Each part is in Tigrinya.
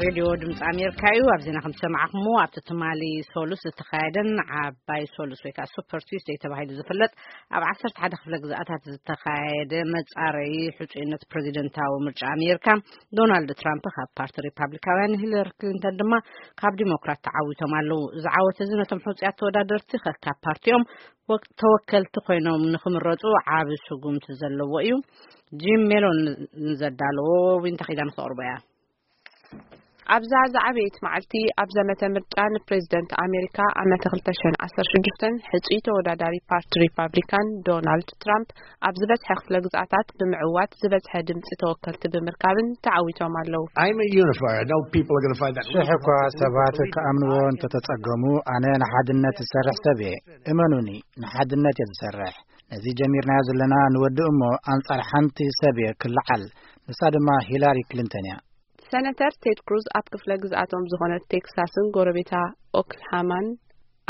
ሬድዮ ድምፂ ኣሜሪካ እዩ። ኣብ ዜና ከም ዝሰማዕኹምዎ፣ ኣብቲ ትማሊ ሶሉስ ዝተኻየደን ዓባይ ሶሉስ ወይ ከዓ ሱፐር ቱስደይ ተባሂሉ ዝፍለጥ ኣብ ዓሰርተ ሓደ ክፍለ ግዝኣታት ዝተኻየደ መፃረዪ ሕፁይነት ፕሬዚደንታዊ ምርጫ ኣሜሪካ፣ ዶናልድ ትራምፕ ካብ ፓርቲ ሪፓብሊካውያን፣ ሂለሪ ክሊንተን ድማ ካብ ዲሞክራት ተዓዊቶም ኣለዉ። እዚ ዓወት እዚ ነቶም ሕፁያት ተወዳደርቲ ከካብ ፓርቲኦም ወክ-፣ ተወከልቲ ኮይኖም ንክምረፁ ዓቢ ስጉምቲ ዘለዎ እዩ። ጂም ሜሎን ንዘዳለዎ ዊንታ ኪዳን ክተቕርቦ እያ። ኣብዛ ዝዓበየት መዓልቲ ኣብ ዘመተ ምርጫ ንፕሬዚደንት ኣሜሪካ ዓመተ ክልተ ሽሕን ዓሰርተ ሽዱሽተን ሕጹይ ተወዳዳሪ ፓርቲ ሪፓብሊካን ዶናልድ ትራምፕ ኣብ ዝበዝሐ ክፍለ ግዝኣታት ብምዕዋት ዝበዝሐ ድምጺ ተወከልቲ ብምርካብን ተዓዊቶም ኣለዉ። I'm a unifier. I know people are going to find that ሽሕ እኳ ሰባት ክኣምንዎ እንተተጸገሙ፣ ኣነ ንሓድነት ዝሰርሕ ሰብ እየ። እመኑኒ፣ ንሓድነት እየ ዝሰርሕ። ነዚ ጀሚርናዮ ዘለና ንወዲ እሞ ኣንጻር ሓንቲ ሰብ እየ ክልዓል። ንሳ ድማ ሂላሪ ክሊንተን እያ። ሰነተር ቴድ ክሩዝ ኣብ ክፍለ ግዝኣቶም ዝኾነት ቴክሳስን ጎረቤታ ኦክልሃማን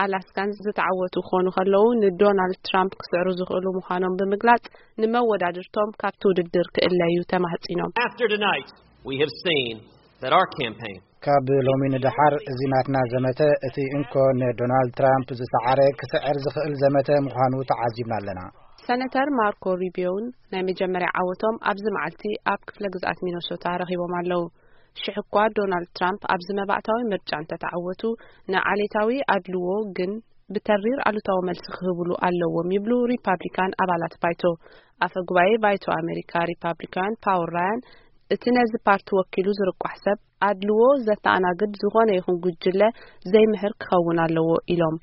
ኣላስካን ዝተዓወቱ ክኾኑ ከለዉ፣ ንዶናልድ ትራምፕ ክስዕሩ ዝኽእሉ ምዃኖም ብምግላጽ፣ ንመወዳድርቶም ካብቲ ውድድር ክእለዩ ተማህጺኖም። After tonight, we have seen that our campaign ካብ ሎሚ ንደሓር እዚ ናትና ዘመተ እቲ እንኮ ንዶናልድ ትራምፕ ዝሰዓረ ክስዕር ዝኽእል ዘመተ ምዃኑ ተዓዚብና ኣለና። ሰነተር ማርኮ ሩቢዮን ናይ መጀመርያ ዓወቶም ኣብዚ መዓልቲ ኣብ ክፍለ ግዝኣት ሚነሶታ ረኺቦም ኣለዉ። ሽሕ እኳ ዶናልድ ትራምፕ ኣብዚ መባእታዊ ምርጫ እንተተዓወቱ፣ ንዓሌታዊ ኣድልዎ ግን ብተሪር ኣሉታዊ መልሲ ክህብሉ ኣለዎም ይብሉ ሪፓብሊካን ኣባላት ባይቶ። ኣፈ ጉባኤ ባይቶ ኣሜሪካ ሪፓብሊካን ፓውል ራያን፣ እቲ ነዚ ፓርቲ ወኪሉ ዝርቋሕ ሰብ ኣድልዎ ዘተኣናግድ ዝኾነ ይኹን ጉጅለ ዘይምህር ክኸውን ኣለዎ ኢሎም።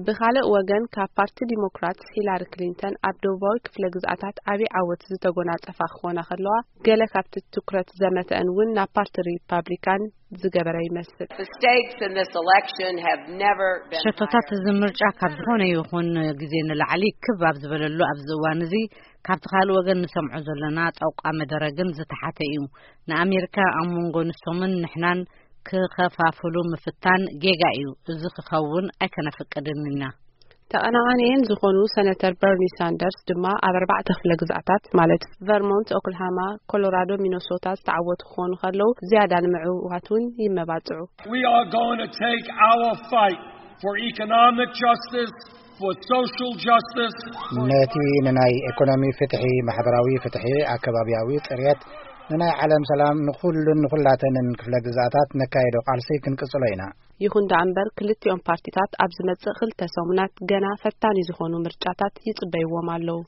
ብኻልእ ወገን፣ ካብ ፓርቲ ዲሞክራትስ ሂላሪ ክሊንተን ኣብ ደቡባዊ ክፍለ ግዝኣታት ዓቢ ዓወት ዝተጎናጸፋ ክኾና ከለዋ፣ ገለ ካብቲ ትኩረት ዘመተአን እውን ናብ ፓርቲ ሪፓብሊካን ዝገበረ ይመስል። The stakes in this election have never been ሸቶታት higher. እዚ ምርጫ ካብ ዝኾነ ይኹን ግዜ ንላዕሊ ክብ ኣብ ዝበለሉ ኣብዚ እዋን እዚ፣ ካብቲ ካልእ ወገን ንሰምዖ ዘለና ጠውቃ መደረ ግን ዝተሓተ እዩ። ንኣሜሪካ ኣብ መንጎ ንሶምን ንሕናን ክኸፋፍሉ ምፍታን ጌጋ እዩ። እዚ ክኸውን ኣይከነፍቅድን ኢና። ተቐናቓኒኤን ዝኾኑ ሰነተር በርኒ ሳንደርስ ድማ ኣብ ኣርባዕተ ክፍለ ግዝኣታት፣ ማለት ቨርሞንት፣ ኦክልሃማ፣ ኮሎራዶ፣ ሚነሶታ ዝተዓወቱ ክኾኑ ከለዉ፣ ዝያዳ ንምዕዋት እውን ይመባጽዑ። We are going to take our fight for economic justice, for social justice, for ነቲ ንናይ ኢኮኖሚ ፍትሒ፣ ማሕበራዊ ፍትሒ፣ ኣከባብያዊ ጽርየት፣ ንናይ ዓለም ሰላም፣ ንኹሉን ንኹላተንን ክፍለ ግዝኣታት ነካየዶ ቃልሲ ክንቅጽሎ ኢና። ይኹን ደኣ እምበር፣ ክልቲኦም ፓርቲታት ኣብ ዝመጽእ ክልተ ሰሙናት ገና ፈታኒ ዝኾኑ ምርጫታት ይጽበይዎም ኣለዉ።